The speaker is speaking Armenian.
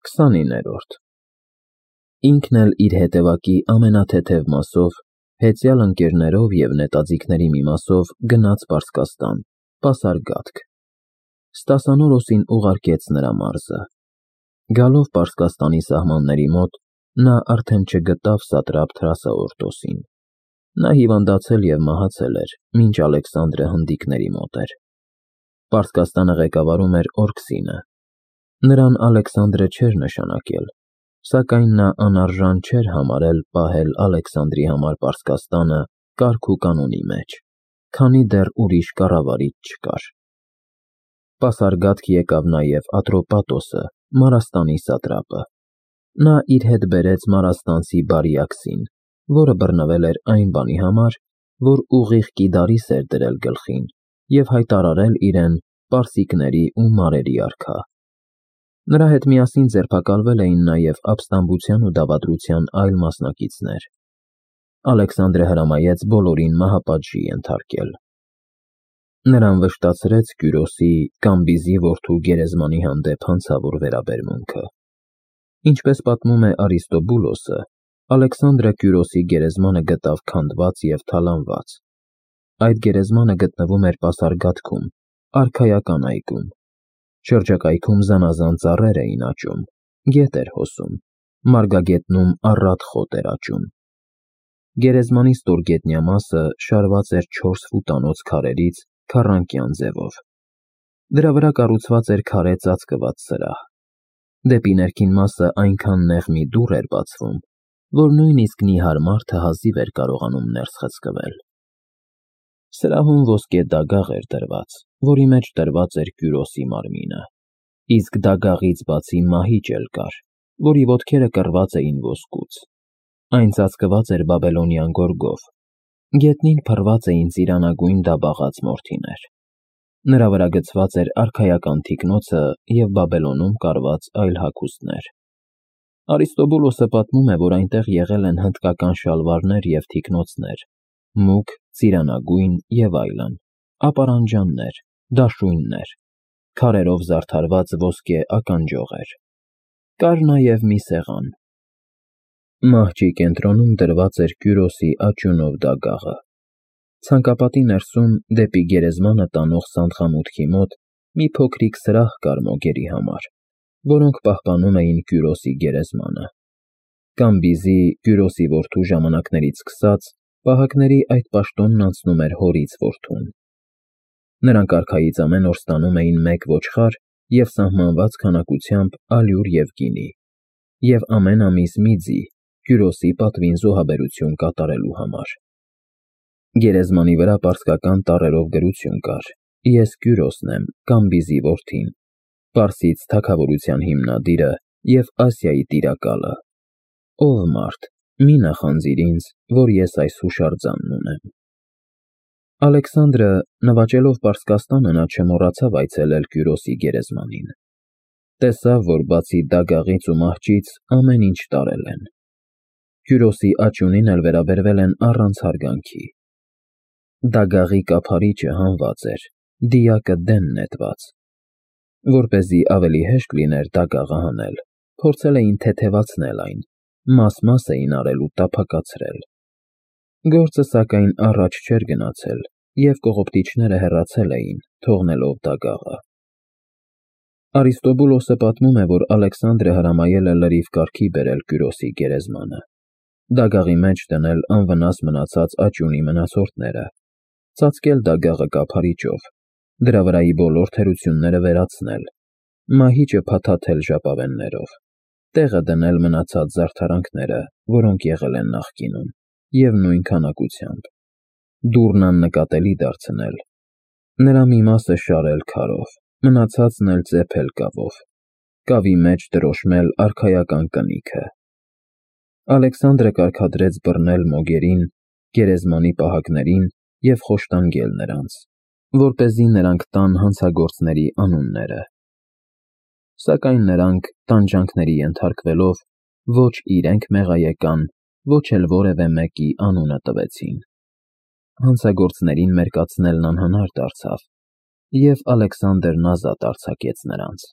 29-րդ Ինքն էլ իր հետևակի ամենաթեթև մասով, հեծյալ ընկերներով և նետաձիգների մի մասով գնաց Պարսկաստան, պասարգաթք։ Ստասանորոսին ուղարկեց նրա մարզը։ Գալով Պարսկաստանի սահմանների մոտ, նա արդեն չգտավ սատրապ Թրասաորտոսին։ Նա հիվանդացել և մահացել էր, մինչ Ալեքսանդրը հնդիկների մոտ էր։ Պարսկաստանը ղեկավարում էր Օրքսինը։ Նրան Ալեքսանդրը չէր նշանակել, սակայն նա անարժան չէր համարել պահել Ալեքսանդրի համար Պարսկաստանը կարգ ու կանոնի մեջ, քանի դեռ ուրիշ կառավարիչ չկար։ Պասարգաթք եկավ նաև Ատրոպատոսը, Մարաստանի սատրապը։ Նա իր հետ բերեց մարաստանցի Բարիաքսին, որը բռնվել էր այն բանի համար, որ ուղիղ կիդարիս էր դրել գլխին և հայտարարել իրեն պարսիկների ու մարերի արքա։ Նրա հետ միասին ձերբակալվել էին նաև ապստամբության ու դավադրության այլ մասնակիցներ։ Ալեքսանդրը հրամայեց բոլորին մահապատժի ենթարկել։ Նրան վշտացրեց Կյուրոսի Կամբիզի որդու Գերեզմանի հանդեպ հանցավոր վերաբերմունքը։ Ինչպես պատմում է Արիստոբուլոսը, Ալեքսանդրը Կյուրոսի գերեզմանը գտավ քանդված և թալանված։ Այդ գերեզմանը գտնվում էր Պասարգաթքում, արքայական այգում։ Շրջակայքում զանազան ծառեր էին աճում, գետ էր հոսում, մարգագետնում առատ խոտ էր աճում։ Գերեզմանի ստորգետնյա մասը շարված էր 4 ֆուտանոց քարերից քառանկյան ձևով։ Դրա վրա կառուցված էր քարե ծածկված սրահ։ Դեպի ներքին մասը այնքան նեղ մի դուռ էր բացվում, որ նույնիսկ նիհար մարդը հազիվ էր կարողանում ներս խցկվել։ Սրահում ոսկե դագաղ էր դրված, որի մեջ դրված էր Կյուրոսի մարմինը, իսկ դագաղից բացի մահիճ էլ կար, որի ոտքերը կռված էին ոսկուց։ Այն ծածկված էր բաբելոնյան գորգով։ Գետնին փռված էին ծիրանագույն դաբաղած մորթիներ։ Նրա վրա գծված էր արքայական թիկնոցը և Բաբելոնում կարված այլ հագուստներ։ Արիստոբուլոսը պատմում է, որ այնտեղ եղել են հնդկական շալվարներ և թիկնոցներ, մուգ, ծիրանագույն և այլն, ապարանջաններ, դաշույններ, քարերով զարդարված ոսկե ականջողեր։ Կար նաև մի սեղան։ Մահճի կենտրոնում դրված էր Կյուրոսի աճյունով դագաղը։ Ցանկապատի ներսում, դեպի գերեզմանը տանող սանդղամուտքի մոտ, մի փոքրիկ սրահ կար մոգերի համար, որոնք պահպանում էին Կյուրոսի գերեզմանը։ Կամբիզի, Կյուրոսի որդու ժամանակներից սկսած, պահակների այդ պաշտոնն անցնում էր հորից որդուն։ Նրանք արքայից ամեն օր ստանում էին 1 ոչխար և սահմանված քանակությամբ ալյուր և գինի, և ամեն ամիս մի ձի, Կյուրոսի պատվին զոհաբերություն կատարելու համար։ Գերեզմանի վրա պարսկական տառերով գրություն կար. «Ես Կյուրոսն եմ, Կամբիզի որդին, Պարսից թագավորության հիմնադիրը և Ասիայի տիրակալը։ Ով մարդ, մի նախանձիր ինձ, որ ես այս հուշարձանն ունեմ»։ Ալեքսանդրը, նվաճելով Պարսկաստանը, նա չմոռացավ այցելել Կյուրոսի գերեզմանին։ Տեսավ, որ բացի դագաղից ու մահճից ամեն ինչ տարել են։ Կյուրոսի աճյունին էլ վերաբերվել են առանց հարգանքի։ Դագաղի կափարիչը հանված էր, դիակը դեն նետված։ Որպեսզի ավելի հեշտ լիներ դագաղը հանել, փորձել էին թեթևացնել այն, մաս-մաս էին արել ու տափակացրել։ Գործը, սակայն, առաջ չէր գնացել, և կողոպտիչները հեռացել էին, թողնելով դագաղը։ Արիստոբուլոսը պատմում է, որ Ալեքսանդրը հրամայել է լրիվ կարգի բերել Կյուրոսի գերեզմանը, դագաղի մեջ դնել անվնաս մնացած աճյունի մնացորդները, ծածկել դագաղը կափարիչով, դրա վրայի բոլոր թերությունները վերացնել, մահիճը փաթաթել ժապավեններով, տեղը դնել մնացած զարդարանքները, որոնք եղել են նախկինում, և նույն քանակությամբ, դուռն աննկատելի դարձնել, նրա մի մասը շարել քարով, մնացածն էլ ծեփել կավով, կավի մեջ դրոշմել արքայական կնիքը։ Ալեքսանդրը կարգադրեց բռնել մոգերին, գերեզմանի պահակներին և խոշտանգել նրանց, որպեսզի նրանք տան հանցագործների անունները։ Սակայն նրանք, տանջանքների ենթարկվելով, ոչ իրենք մեղայեկան, ոչ էլ որևէ մեկի անունը տվեցին։ Հանցագործներին մերկացնելն անհնար դարձավ, և Ալեքսանդրն ազատ արձակեց նրանց։